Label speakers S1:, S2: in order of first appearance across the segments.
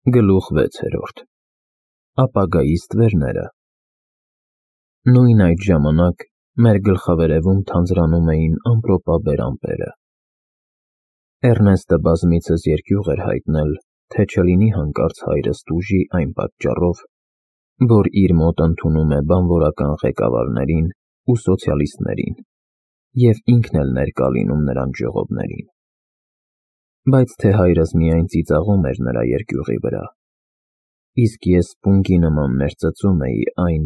S1: Գլուխ 6. Ապագայի ստվերները։ Նույն այդ ժամանակ մեր գլխավերևում թանձրանում էին ամպրոպաբեր ամպերը։ Էռնեստը բազմիցս երկյուղ էր հայտնել, թե չլինի հանկարծ հայրս տուժի այն պատճառով, որ իր մոտ ընդունում է բանվորական ղեկավարներին ու սոցիալիստներին, և ինքն էլ ներկա լինում նրանց ժողովներին։ Բայց թե հայրս միայն ծիծաղում էր նրա երկյուղի վրա, իսկ ես պունկի նման ներծծում էի այն,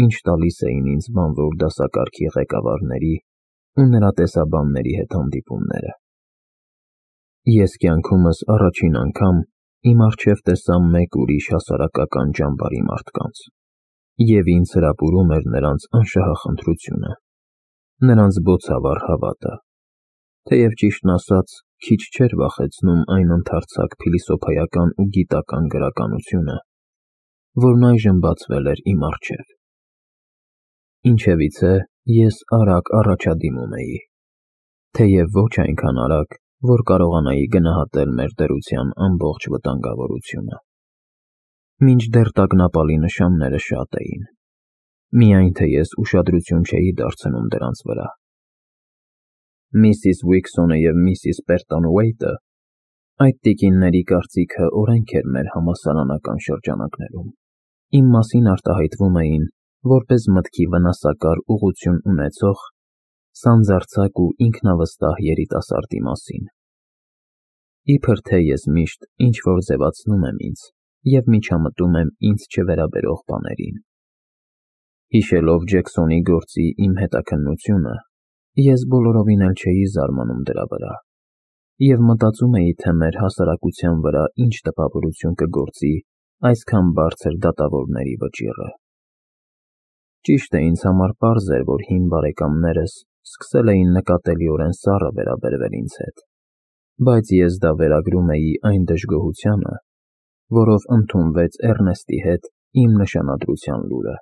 S1: ինչ տալիս էին ինձ բանվոր դասակարգի ղեկավարների ու նրա տեսաբանների հետ հանդիպումները։ Ես կյանքումս առաջին անգամ իմ առջև տեսա մեկ ուրիշ հասարակական ճամբարի մարդկանց, և ինձ հրապուրում էր նրանց անշահախնդրությունը, նրանց բոցավառ հավատը, թեև ճիշտն ասած, քիչ չէր վախեցնում այն ընդարձակ փիլիսոփայական ու գիտական գրականությունը, որն այժմ բացվել էր իմ առջև։ Ինչևիցե, ես արագ առաջադիմում էի, թեև ոչ այնքան արագ, որ կարողանայի գնահատել մեր դրության ամբողջ վտանգավորությունը։ Մինչդեռ տագնապալի նշանները շատ էին, միայն թե ես ուշադրություն չէի դարձնում դրանց վրա։ Միսիս Ուիքսոնը և միսիս Պերտոնուեյթը, այդ տիկինների կարծիքը օրենք էր մեր համալսարանական շրջանակներում, իմ մասին արտահայտվում էին որպես մտքի վնասակար ուղղություն ունեցող, սանձարձակ ու ինքնավստահ երիտասարդի մասին։ Իբր թե ես միշտ ինչ-որ ձևացնում եմ ինձ և միջամտում եմ ինձ չվերաբերող բաներին։ Հիշելով Ջեքսոնի գործի իմ հետաքննությունը, ես բոլորովին էլ չէի զարմանում դրա վրա, և մտածում էի, թե մեր հասարակության վրա ինչ տպավորություն կգործի այսքան բարձր դատավորների վճիռը։ Ճիշտ է, ինձ համար պարզ էր, որ հին բարեկամներս սկսել էին նկատելիորեն սառը վերաբերվել ինձ հետ, բայց ես դա վերագրում էի այն դժգոհությանը, որով ընդունվեց Էռնեստի հետ իմ նշանադրության լուրը։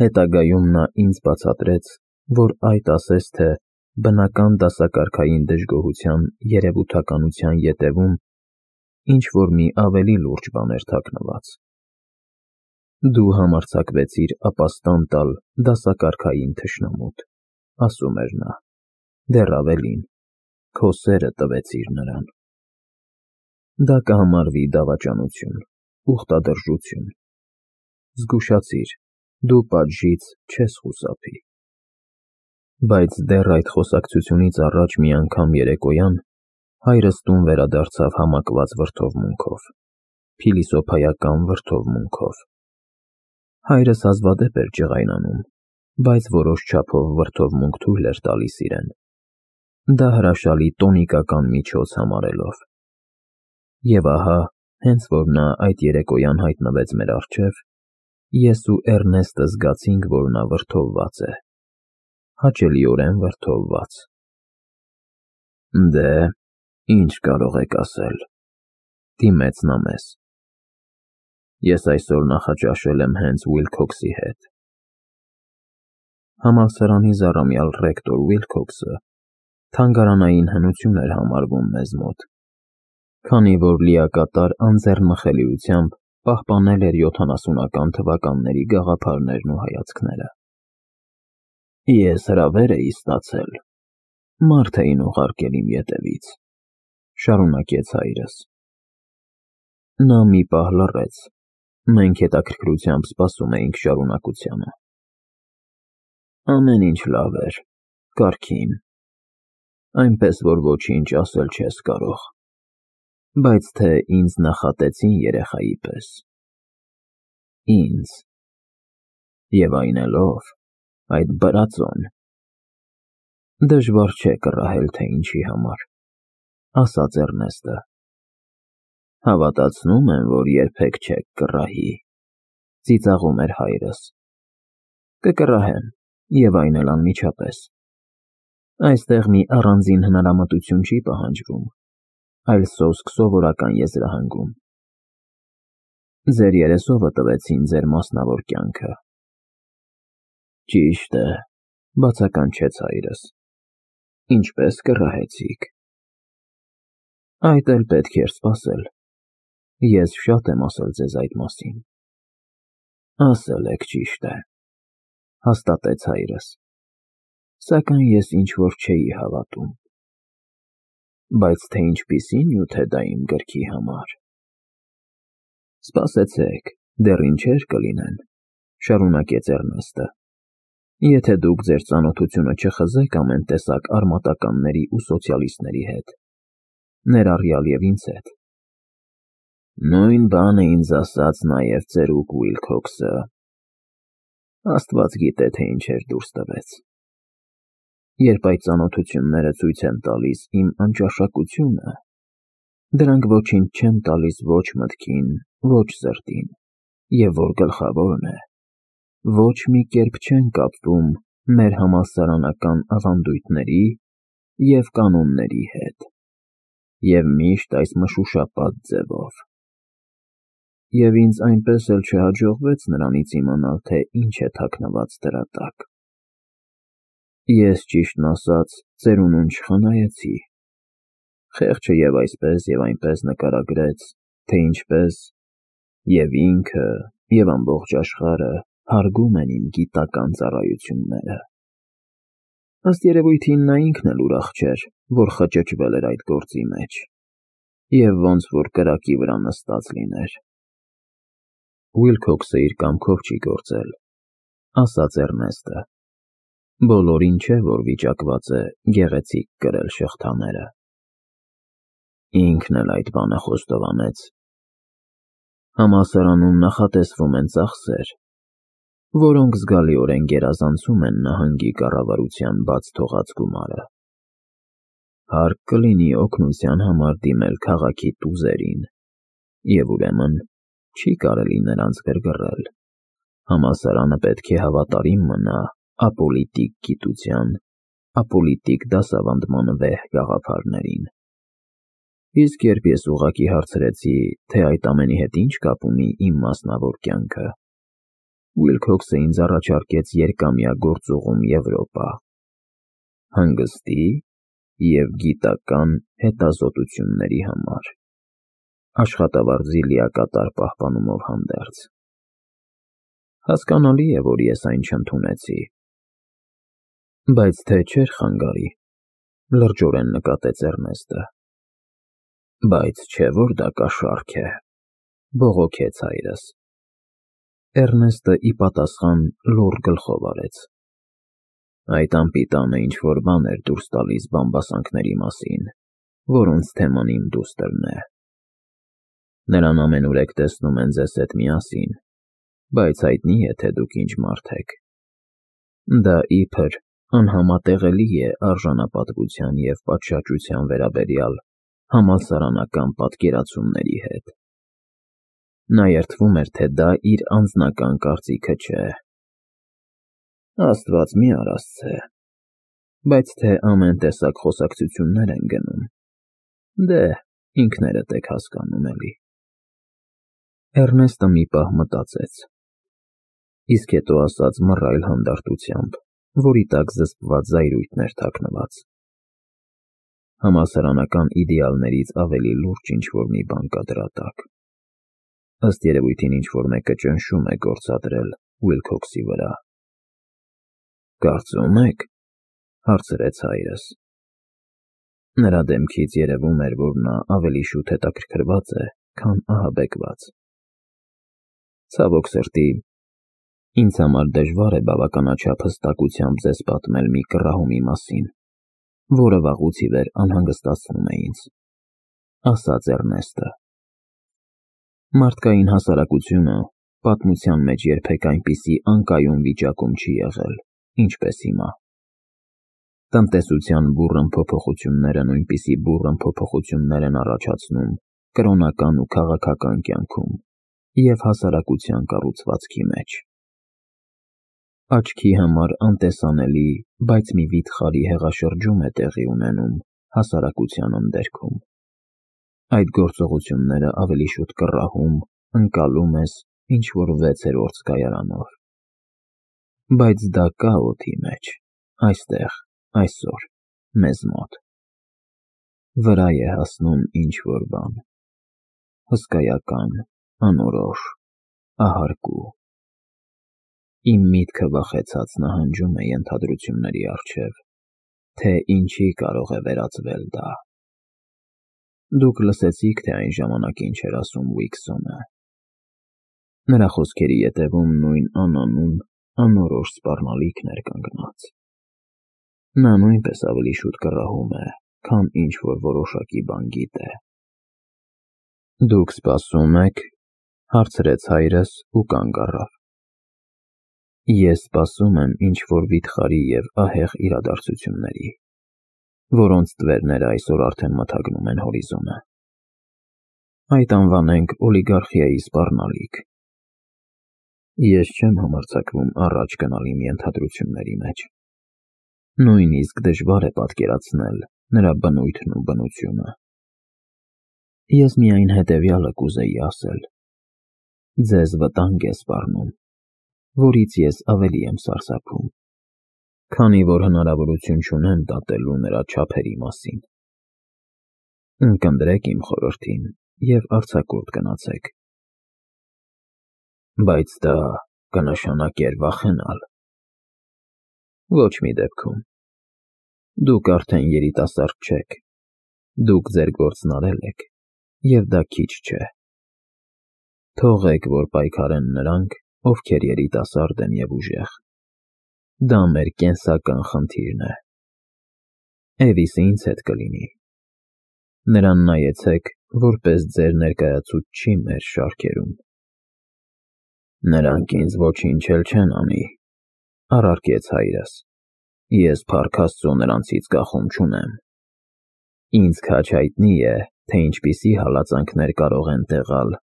S1: Հետագայում նա ինձ բացատրեց, որ այդ ասես թե բնական դասակարգային դժգոհության երևութականության ետևում ինչ-որ մի ավելի լուրջ բան էր թաքնված։ Դու համարձակվեցիր ապաստան տալ դասակարգային թշնամուդ, ասում էր նա, դեռ ավելին, քո սերը տվեցիր նրան։ Դա կհամարվի դավաճանություն, ուխտադրժություն։ Զգուշացիր, դու պատժից չես խուսափի։ Բայց դեռ այդ խոսակցությունից առաջ մի անգամ երեկոյան հայրս տուն վերադարձավ համակված վրդովմունքով, փիլիսոփայական վրդովմունքով։ Հայրս հազվադեպ էր ջղայնանում, բայց որոշ չափով վրդովմունք թույլ էր տալիս իրեն, դա հրաշալի տոնիկական միջոց համարելով։ Եվ ահա, հենց որ նա այդ երեկոյան հայտնվեց մեր առջև, ես ու Էռնեստը զգացինք, որ նա վրդովված է, հաճելիորեն վրդովված։ Դե, ինչ կարող եք ասել, դիմեց նա մեզ։ Ես այսօր նախաճաշել եմ հենց Ուիլքոքսի հետ։ Համալսարանի զառամյալ ռեկտոր Ուիլքոքսը թանգարանային հնություն էր համարվում մեզ մոտ, քանի որ լիակատար անձեռնմխելիությամբ պահպանել էր 70-ական թվականների գաղափարներն ու հայացքները։ Ես հրավեր էի ստացել, մարդ էին ուղարկել իմ ետևից, շարունակեց հայրս։ Նա մի պահ լռեց, մենք հետաքրքրությամբ սպասում էինք շարունակությանը։ Ամեն ինչ լավ էր, կարգին, այնպես որ ոչինչ ասել չես կարող, բայց թե ինձ նախատեցին երեխայի պես։ Ինձ։ Եվ այն էլ ով, այդ բրածոն։ Դժվար չէ կռահել, թե ինչի համար, ասաց Էռնեստը։ Հավատացնում եմ, որ երբեք չեք կռահի, ծիծաղում էր հայրս։ Կկռահեմ, և այն էլ անմիջապես։ Այստեղ մի առանձին հնարամտություն չի պահանջվում, այլ սոսկ սովորական եզրահանգում։ Ձեր երեսովը տվեցին ձեր մասնավոր կյանքը։ Ճիշտ է, բացականչեց հայրս։ Ինչպես կռահեցիք։ Այդ էլ պետք էր սպասել։ Ես շատ եմ ասել ձեզ այդ մասին։ Ասել եք, ճիշտ է, հաստատեց հայրս, սակայն ես ինչ-որ չէի հավատում։ Բայց թե ինչպիսի նյութ է դա իմ գրքի համար։ Սպասեցեք, դեռ ինչեր կլինեն, շարունակեց Էրնեստը։ Եթե դուք ձեր ծանոթությունը չխզեք ամեն տեսակ արմատականների ու սոցիալիստների հետ, ներառյալ և ինձ հետ։ Նույն բանը ինձ ասաց նաև ծերուկ Ուիլքոքսը։ Աստված գիտե, թե ինչեր դուրս տվեց։ Երբ այդ ծանոթությունները ցույց են տալիս իմ անճաշակությունը, դրանք ոչինչ չեն տալիս ոչ մտքին, ոչ սրտին, և որ գլխավորն է, ոչ մի կերպ չեն կապվում մեր համալսարանական ավանդույթների և կանոնների հետ, և միշտ այս մշուշապատ ձևով։ Եվ ինձ այնպես էլ չհաջողվեց նրանից իմանալ, թե ինչ է թաքնված դրա տակ։ Ես, ճիշտն ասած, ծերունուն չխնայեցի։ Խեղճը և այսպես և այնպես նկարագրեց, թե ինչպես և ինքը, և ամբողջ աշխարհը հարգում են իմ գիտական ծառայությունները։ Ըստ երևույթին նա ինքն էլ ուրախ չէր, որ խճճվել էր այդ գործի մեջ, և ոնց որ կրակի վրա նստած լիներ։ Ուիլքոքսը իր կամքով չի գործել, ասաց Էրնեստը։ Բոլորին չէ, որ վիճակված է գեղեցիկ կրել շղթաները։ Ինքն էլ այդ բանը խոստովանեց։ Համալսարանում նախատեսվում են ծախսեր, որոնք զգալիորեն գերազանցում են նահանգի կառավարության բաց թողած գումարը։ Հարկ կլինի օգնության համար դիմել քաղաքի տուզերին, և ուրեմն չի կարելի նրանց գրգռել։ Համալսարանը պետք է հավատարիմ մնա ապոլիտիկ գիտության, ապոլիտիկ դասավանդման վեհ գաղափարներին։ Իսկ երբ ես ուղղակի հարցրեցի, թե այդ ամենի հետ ինչ կապ ունի իմ մասնավոր կյանքը, Ուիլքոքսը ինձ առաջարկեց երկամյա գործուղում Եվրոպա, հանգստի և գիտական հետազոտությունների համար, աշխատավարձի լիակատար պահպանումով հանդերձ։ Հասկանալի է, որ ես այն չընդունեցի։ Բայց թե չէր խանգարի, լրջորեն նկատեց Էրնեստը։ Բայց չէ, որ դա կաշառք է, բողոքեց հայրս։ Էրնեստը ի պատասխան լուռ գլխով արեց։ Այդ անպիտանը ինչ-որ բան էր դուրս տալիս բամբասանքների մասին, որոնց թեման իմ դուստրն է։ Նրան ամենուրեք տեսնում են ձեզ հետ միասին, բայց հայտնի է, թե դուք ինչ մարդ եք։ Դա իբր անհամատեղելի է արժանապատվության և պատշաճության վերաբերյալ համալսարանական պատկերացումների հետ։ Նա երդվում էր, թե դա իր անձնական կարծիքը չէ։ Աստված մի արասցե, բայց թե ամեն տեսակ խոսակցություններ են գնում, դե, ինքներդ եք հասկանում էլի։ Էրնեստը մի պահ մտածեց, իսկ հետո ասաց մռայլ հանդարտությամբ, որի տակ զսպված զայրույթներ թաքնված. Համալսարանական իդեալներից ավելի լուրջ ինչ-որ մի բան կա դրա տակ։ Ըստ երևույթին ինչ-որ մեկը ճնշում է գործադրել Ուիլքոքսի վրա։ Կարծում եք, հարցրեց հայրս։ Նրա դեմքից երևում էր, որ նա ավելի շուտ հետաքրքրված է, քան ահաբեկված։ Ցավոք սրտի, ինձ համար դժվար է բավականաչափ հստակությամբ ձեզ պատմել մի կռահումի մասին, որը վաղուց ի վեր անհանգստացնում է ինձ, ասաց Էրնեստը։ Մարդկային հասարակությունը պատմության մեջ երբեք այնպիսի անկայուն վիճակում չի եղել, ինչպես հիմա։ Տնտեսության բուռն փոփոխությունները նույնպիսի բուռն փոփոխություններ են առաջացնում կրոնական ու քաղաքական կյանքում և հասարակության կառուցվածքի մեջ։ Աչքի համար անտեսանելի, բայց մի վիթխարի հեղաշրջում է տեղի ունենում հասարակության ընդերքում։ Այդ գործողությունները ավելի շուտ կռահում, ընկալում ես ինչ-որ 6-րդ զգայարանով։ Բայց դա կա օդի մեջ, այստեղ, այսօր, մեզ մոտ։ Վրա է հասնում ինչ-որ բան։ հսկայական, անորոշ, ահարկու։ Իմ միտքը վախեցած նահանջում է ենթադրությունների առջև, թե ինչի կարող է վերածվել դա։ Դուք լսեցիք, թե այն ժամանակ ինչ էր ասում Ուիքսոնը։ Նրա խոսքերի ետևում նույն անանուն, անորոշ սպառնալիքն էր կանգնած։ Նա նույնպես ավելի շուտ կռահում է, քան ինչ-որ որոշակի բան գիտե։ Դուք սպասում եք, հարցրեց հայրս ու կանգ առավ։ Ես սպասում եմ ինչ-որ վիթխարի և ահեղ իրադարձությունների, որոնց տվերները այսօր արդեն մթագնում են հորիզոնը։ Այդ անվանենք օլիգարխիայի սպառնալիք։ Ես չեմ համարձակվում առաջ գնալ իմ ենթադրությունների մեջ։ Նույնիսկ դժվար է պատկերացնել նրա բնույթն ու բնությունը։ Ես միայն հետևյալը կուզեի ասել. ձեզ վտանգ է սպառնում, որից ես ավելի եմ սարսափում, քանի որ հնարավորություն չունեմ դատելու նրա չափերի մասին։ Ընկնդրեք իմ խորհրդին և արձակուրդ գնացեք։ Բայց դա կնշանակեր վախենալ։ Ոչ մի դեպքում։ Դուք արդեն երիտասարդ չեք, դուք ձեր գործն արել եք, և դա քիչ չէ։ Թողեք, որ պայքարեն նրանք, ովքեր երիտասարդ են և ուժեղ։ Դա մեր կենսական խնդիրն է։ Էվիսը ինձ հետ կլինի։ Նրան նայեցեք, որպես ձեր ներկայացուցչի մեր շարքերում։ Նրանք ինձ ոչինչ էլ չեն անի, առարկեց հայրս։ Ես փառք Աստծո նրանցից կախում չունեմ։ Ինձ քաջ հայտնի է, թե ինչպիսի հալածանքներ կարող են տեղալ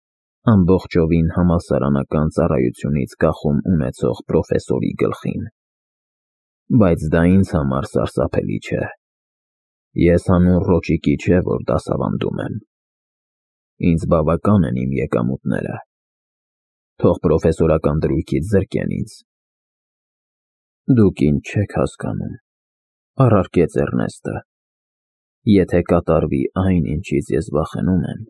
S1: ամբողջովին համալսարանական ծառայությունից կախում ունեցող պրոֆեսորի գլխին։ Բայց դա ինձ համար սարսափելի չէ։ Ես հանուն ռոճիկի չէ, որ դասավանդում եմ։ Ինձ բավական են իմ եկամուտները։ Թող պրոֆեսորական դրույքից զրկեն ինձ։ Դուք ինձ չեք հասկանում, առարկեց Էռնեստը։ Եթե կատարվի այն, ինչից ես վախենում եմ,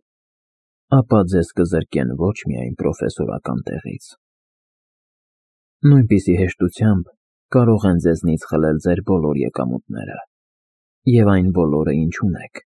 S1: ապա ձեզ կզրկեն ոչ միայն պրոֆեսորական տեղից։ Նույնպիսի հեշտությամբ կարող են ձեզնից խլել ձեր բոլոր եկամուտները, և այն բոլորը, ինչ ունեք։